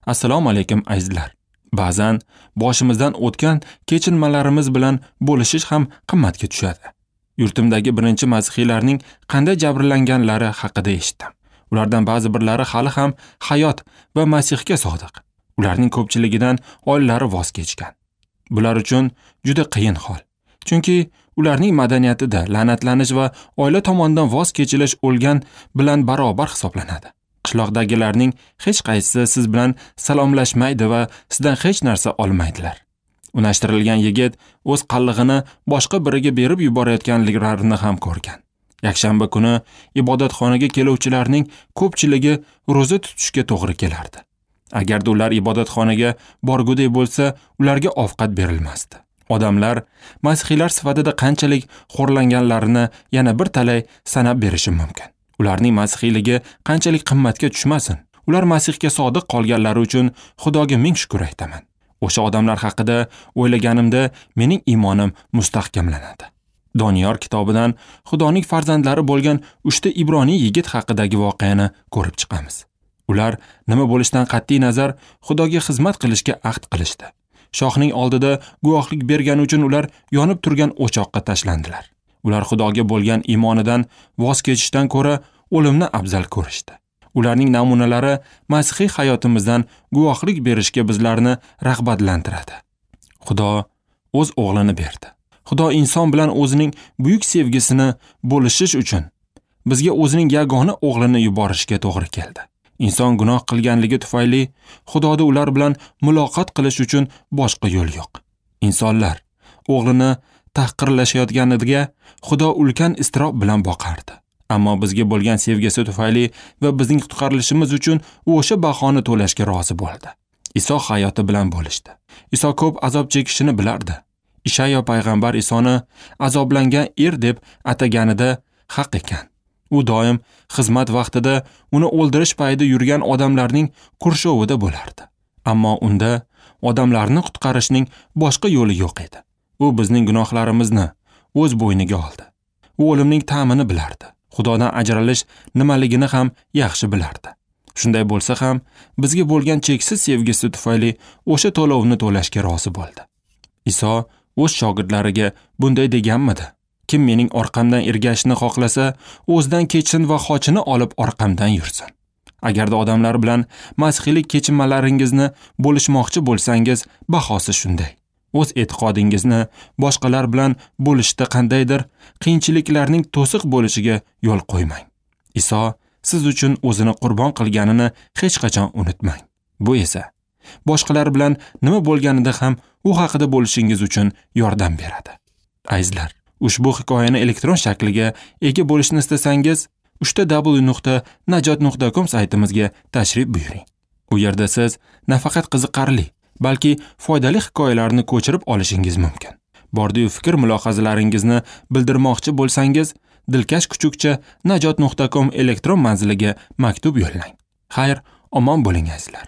Assalomu alaykum azizlar. Ba'zan boshimizdan o'tgan kechinmalarimiz bilan bo'lishish ham qimmatga tushadi. Yurtimdagi birinchi masihiylarning qanday jabrlanganlari haqida eshitdim. Ulardan ba'zi birlari hali ham hayot va Masihga sodiq. Ularning ko'pchiligidan oilalari voz kechgan. Bular uchun juda qiyin hol. Chunki ularning madaniyatida la'natlanish va oila tomonidan voz kechilish o'lgan bilan barobar hisoblanadi. Qishloqdagilarning hech qaysisi siz bilan salomlashmaydi va sizdan hech narsa olmaydilar. Unashtirilgan yigit o'z qallig'ini boshqa biriga berib yuborayotganliklarini ham ko'rgan. Yakshanba kuni ibodatxonaga keluvchilarning ko'pchiligi ro'za tutishga to'g'ri kelardi. Agarda ular ibodatxonaga borguday bo'lsa, ularga ovqat berilmasdi. Odamlar masihiylar sifatida qanchalik xo'rlanganlarini yana bir talay sanab berishim mumkin. Ularning masihiyligi qanchalik qimmatga tushmasin, ular Masihga sodiq qolganlari uchun Xudoga ming shukr aytaman. O'sha odamlar haqida o'ylaganimda mening iymonim mustahkamlanadi. Doniyor kitobidan Xudoning farzandlari bo'lgan 3 ta ibroniy yigit haqidagi voqeani ko'rib chiqamiz. Ular nima bo'lishidan qat'iy nazar Xudoga xizmat qilishga ahd qilishdi. Shohning oldida guvohlik bergani uchun ular yonib turgan o'choqqa tashlandilar. Ular Xudoga bo'lgan iymonidan voz kechishdan ko'ra o'limni afzal ko'rishdi. Ularning namunalari masihiy hayotimizdan guvohlik berishga bizlarni rag'batlantiradi. Xudo o'z o'g'lini berdi. Xudo inson bilan o'zining buyuk sevgisini bo'lishish uchun bizga o'zining yagona o'g'lini yuborishga to'g'ri keldi. Inson gunoh qilganligi tufayli Xudoda ular bilan muloqot qilish uchun boshqa yo'l yo'q. Insonlar o'g'lini tahqirlashayotganiga Xudo ulkan iztirob bilan boqardi. Ammo bizga bo'lgan sevgisi tufayli va bizning qutqarilishimiz uchun u o'sha bahoni to'lashga rozi bo'ldi. Iso hayoti bilan bo'lishdi. Iso ko'p azob chekishini bilardi. Ishayo payg'ambar Isoni azoblangan er deb ataganida haq ekan. U doim xizmat vaqtida uni o'ldirish payida yurgan odamlarning qurshovida bo'lardi. Ammo unda odamlarni qutqarishning boshqa yo'li yo'q edi. U bizning gunohlarimizni o'z bo'yniga oldi. U o'limning ta'mini bilardi. Xudodan ajralish nimaligini ham yaxshi bilardi. Shunday bo'lsa ham bizga bo'lgan cheksiz sevgisi tufayli o'sha to'lovni to'lashga rozi bo'ldi. Iso o'z shogirdlariga bunday deganmidi? Kim mening orqamdan ergashishni xohlasa, o'zidan kechsin va xochini olib orqamdan yursin. Agarda odamlar bilan masihiylik kechinmalaringizni bo'lishmoqchi bo'lsangiz, bahosi shunday. O'z e'tiqodingizni boshqalar bilan bo'lishda qandaydir qiyinchiliklarning to'siq bo'lishiga yo'l qo'ymang. Iso siz uchun o'zini qurbon qilganini hech qachon unutmang. Bu esa boshqalar bilan nima bo'lganida ham u haqida bo'lishingiz uchun yordam beradi. Azizlar, ushbu hikoyani elektron shakliga ega bo'lishni istasangiz, www.najot.com saytimizga tashrif buyuring. U yerda siz nafaqat qiziqarli, balki foydali hikoyalarni ko'chirib olishingiz mumkin. Bordiyu fikr mulohazalaringizni bildirmoqchi bo'lsangiz, dilkash@najot.com elektron manziliga maktub yo'llang. Xayr, omon bo'ling azizlar.